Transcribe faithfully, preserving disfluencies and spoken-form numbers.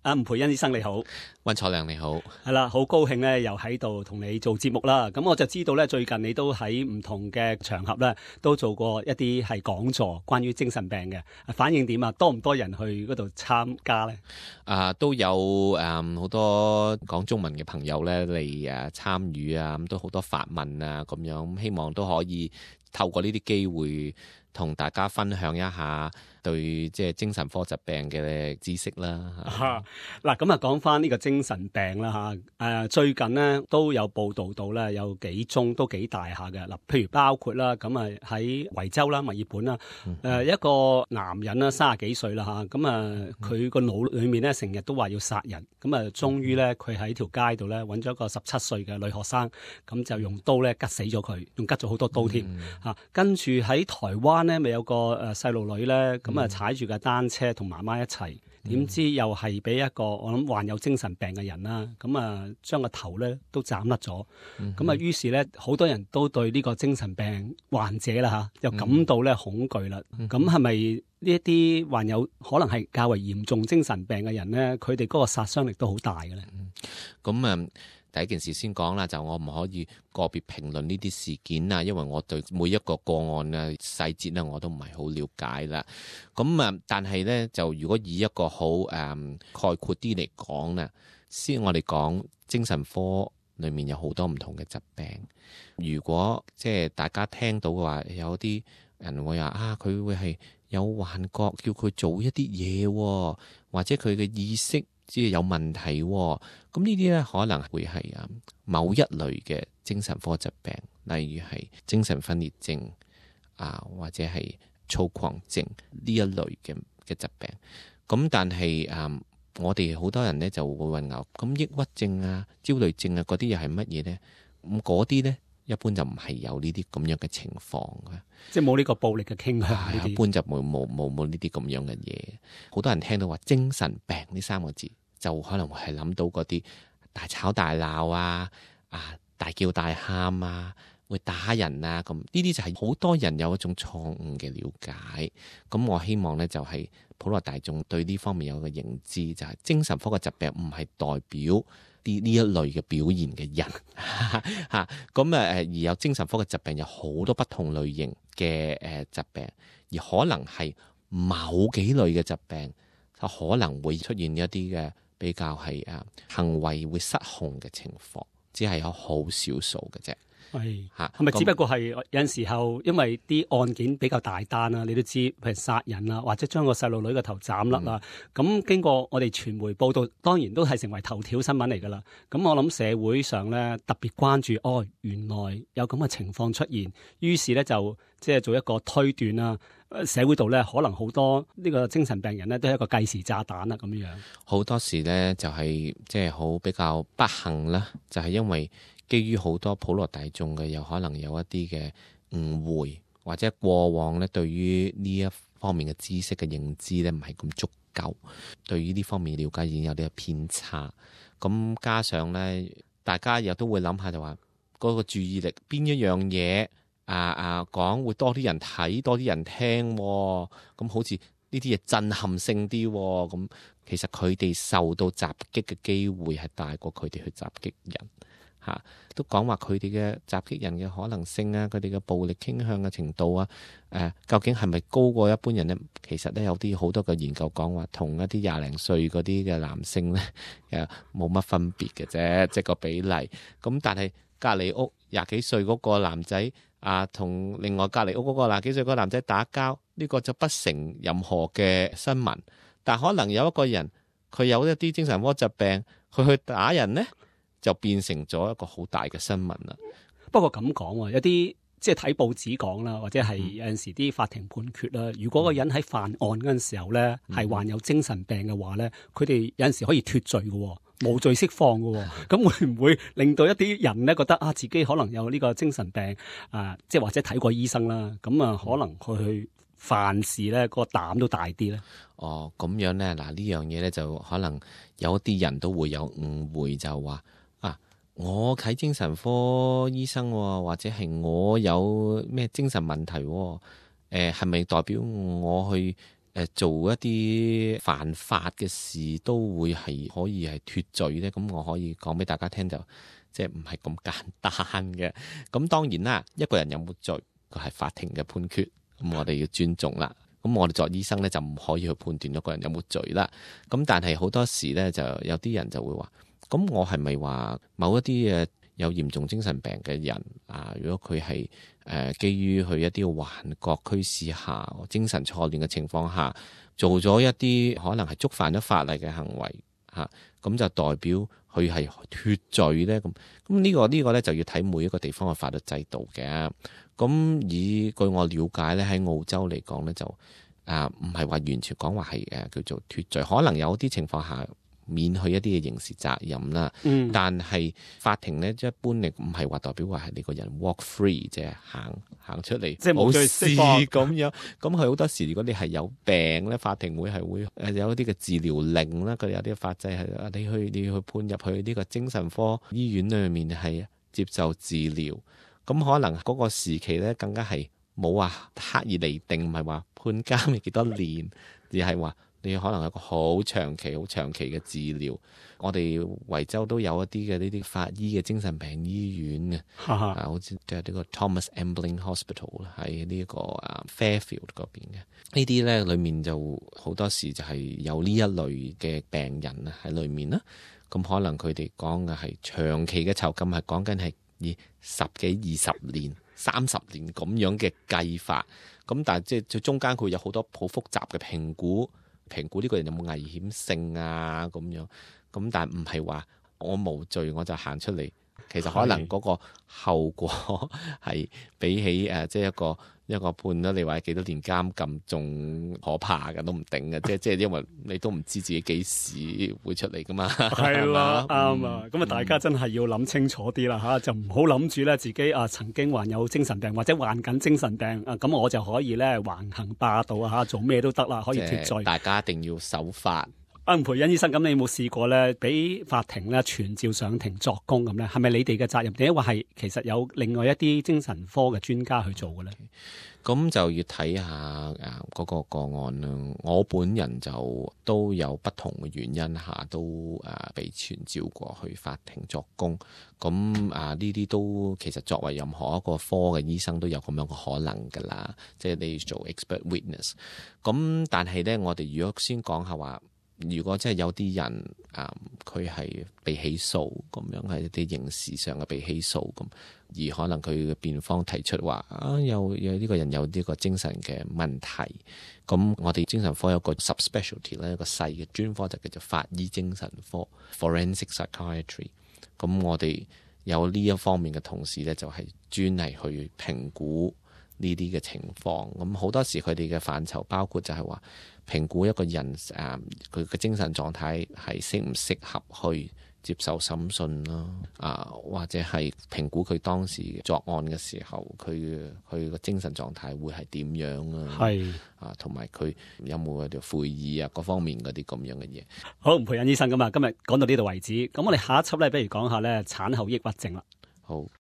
啊，吳培恩醫生你好，溫楚良你好，係啦，好高興咧，又喺度同你做節目啦。咁我就知道咧，最近你都喺唔同嘅場合咧，都做過一啲係講座，關於精神病嘅，反應點啊？多唔多人去嗰度參加咧？啊，都有誒好、嗯、多講中文嘅朋友咧嚟誒參與啊，咁都好多發問啊，咁樣咁希望都可以透過呢啲機會同大家分享一下對即係精神科疾病嘅知識啦。嗱，咁啊講翻呢個精神病啦嚇，誒、呃、最近呢都有報道到咧，有幾宗都幾大下嘅嗱，譬如包括啦，咁啊喺維州啦、墨爾本啦，誒、嗯呃、一個男人啦，三十幾歲啦嚇，咁啊佢個腦裡面咧成日都話要殺人，咁啊終於咧佢喺條街度咧揾咗個十七歲嘅女學生，咁就用刀咧吉死咗佢，仲吉咗好多刀添嚇、嗯啊。跟住喺台灣咧，咪有個誒細路女咧，咁啊踩住架單車同媽媽一齊。點知又係俾一個我諗患有精神病嘅人啦，咁啊將個頭咧都斬甩咗，咁啊於是咧好多人都對呢個精神病患者啦嚇，又感到咧恐懼啦。咁係咪呢一啲患有可能係較為嚴重精神病嘅人咧，佢哋嗰個殺傷力都好大嘅咧？咁啊、嗯，第一件事先講啦，就我唔可以個別評論呢啲事件啊，因為我對每一個個案嘅細節咧，我都唔係好了解啦。咁啊，但係咧，就如果以一個好誒、嗯、概括啲嚟講咧，先我哋講精神科裏面有好多唔同嘅疾病。如果即係大家聽到嘅話，有啲人會話啊，佢會係有幻覺，叫佢做一啲嘢，或者佢嘅意識即係有問題，咁呢啲咧可能會係啊某一類嘅精神科疾病，例如係精神分裂症啊，或者係躁狂症呢一類嘅嘅疾病。咁但係啊，我哋好多人咧就會混淆，咁抑鬱症啊、焦慮症啊嗰啲又係乜嘢咧？咁嗰啲咧一般就唔係有呢啲咁樣嘅情況嘅，即係冇呢個暴力嘅傾向。啊、一般就冇冇冇冇呢啲咁樣嘅嘢。好多人聽到話精神病呢三個字，就可能會係諗到嗰啲大吵大鬧啊、啊大叫大喊啊、會打人啊咁。呢啲就係好多人有一種錯誤嘅了解。咁我希望呢，就係普羅大眾對呢方面有一個認知，就係精神科嘅疾病唔係代表啲呢一類嘅表現嘅人嚇。咁誒而有精神科嘅疾病有好多不同類型嘅誒疾病，而可能係某幾類嘅疾病，就可能會出現一啲嘅比較係誒行為會失控嘅情況，只係有好少數嘅啫。係嚇，係咪只不過係有陣時候，因為啲案件比較大單啊，你都知，譬如殺人啊，或者將個細路女嘅頭斬甩啊，咁、嗯、經過我哋傳媒報道，當然都係成為頭條新聞嚟㗎啦。咁我諗社會上咧特別關注，哦，原來有咁嘅情況出現，於是咧就即係做一個推斷啦。社會度咧可能好多呢個精神病人咧都係一個計時炸彈啦咁樣。好多時咧就係即係好比較不幸啦，就係、是、因為基於好多普羅大眾嘅有可能有一啲嘅誤會，或者過往咧對於呢一方面嘅知識嘅認知咧唔係咁足夠，對於呢方面了解已經有啲偏差。咁加上咧，大家又都會諗下就話嗰個注意力邊一樣嘢啊啊講會多啲人睇，多啲人聽，咁好似呢啲嘢震撼性啲，咁其實佢哋受到襲擊嘅機會係大過佢哋去襲擊人。嚇，都講話佢哋嘅襲擊人嘅可能性啊，佢哋嘅暴力傾向嘅程度啊，誒、呃，究竟係咪高過一般人呢？其實咧有啲好多嘅研究講話，同一啲廿零歲嗰啲嘅男性咧，誒冇乜分別嘅啫，即係個比例。咁但係隔離屋廿幾歲嗰個男仔啊，同另外隔離屋嗰個廿幾歲嗰個男仔打交，呢、這個就不成任何嘅新聞。但可能有一個人佢有一啲精神科疾病，佢去打人呢，就變成咗一個好大嘅新聞啦。不過咁講喎，有啲即係睇報紙講啦，或者係有陣時啲法庭判決啦。如果個人喺犯案嗰陣時候咧，係患有精神病嘅話咧，佢哋有陣時可以脫罪嘅，無罪釋放嘅。咁會唔會令到一啲人咧覺得啊，自己可能有呢個精神病啊，即係或者睇過醫生啦，咁啊可能佢去犯事咧，個膽都大啲咧。哦，咁樣咧，嗱呢樣嘢咧就可能有一啲人都會有誤會，就話。我睇精神科醫生，或者係我有咩精神問題，誒係咪代表我去誒誒做一啲犯法嘅事都會係可以係脫罪咧？咁我可以講俾大家聽，就即係唔係咁簡單嘅。咁當然啦，一個人有冇罪，佢係法庭嘅判決，咁我哋要尊重啦。咁我哋作醫生咧就唔可以去判斷一個人有冇罪啦。咁但係好多時咧就有啲人就會話，咁我係咪話某一啲誒有嚴重精神病嘅人啊？如果佢係誒基於佢一啲幻覺驅使下、精神錯亂嘅情況下，做咗一啲可能係觸犯咗法例嘅行為嚇，咁、啊、就代表佢係脫罪咧？咁咁呢個呢、呢個咧就要睇每一個地方嘅法律制度嘅。咁以據我了解咧，喺澳洲嚟講咧就啊唔係話完全講話係誒叫做脫罪，可能有啲情況下免去一啲嘅刑事責任啦。嗯，但係法庭咧一般嚟唔係話代表話係你個人 walk free 即係行行出嚟，即係冇事咁樣。咁佢好多時如果你係有病咧，法庭會係會誒有一啲嘅治療令啦。佢哋有啲法制係你去你去判入去呢個精神科醫院裏面係接受治療。咁可能嗰個時期咧，更加係冇話刻意嚟定，唔係話判監係幾多年，而係話你可能有個好長期、好長期嘅治療。我哋維州都有一啲嘅呢啲法醫嘅精神病醫院嘅，啊，好似就係呢個 Thomas Ambling Hospital 喺呢個啊 Fairfield 嗰邊嘅。呢啲咧裏面就好多時就係有呢一類嘅病人啊喺裏面啦。咁可能佢哋講嘅係長期嘅囚禁，係講緊係以十幾、二十年、三十年咁樣嘅計法，咁但係即係最中間佢有好多好複雜嘅評估，評估呢個人有冇危險性啊咁樣，咁但係唔係話我無罪我就行出嚟，其實可能嗰個後果係比起誒即係一個一個判咗你話幾多年監禁仲可怕嘅都唔定嘅，即係即係因為你都唔知自己幾時會出嚟噶嘛。係啦，啱啊。咁啊，大家真係要諗清楚啲啦嚇，就唔好諗住咧自己啊曾經患有精神病或者患緊精神病啊，咁我就可以咧橫行霸道啊嚇，做咩都得啦，可以脫罪。大家一定要守法。阿吳培恩醫生，咁你有冇試過咧，俾法庭咧傳召上庭作供咁咧？係咪你哋嘅責任？定係話係其實有另外一啲精神科嘅專家去做嘅咧？咁就要睇下誒嗰個個案啦。我本人就都有不同嘅原因下都誒被傳召過去法庭作供。咁啊呢啲都其實作為任何一個科嘅醫生都有咁樣嘅可能㗎啦。即係你要做 expert witness。咁但係咧，我哋如果先講下話。如果真係有啲人啊，佢、嗯、係被起訴咁樣，係一啲刑事上嘅被起訴咁，而可能佢嘅辯方提出話啊，有有呢個人有呢個精神嘅問題，咁我哋精神科有個 subspecialty 咧，一個細嘅專科就叫做法醫精神科 （forensic psychiatry）。咁我哋有呢一方面嘅同事咧，就係專係去評估呢啲嘅情況。咁好多時佢哋嘅範疇包括就係話，評估一個人誒佢嘅精神狀態係適唔適合去接受審訊啦，啊或者係評估佢當時作案嘅時候，佢佢個精神狀態會係點樣啊？係啊，同埋佢有冇嗰條悔意啊，各方面嗰啲咁樣嘅嘢。好，吳培恩醫生咁啊，今日講到呢度為止。咁我哋下一輯咧，不如講下咧產後抑鬱症啦。好。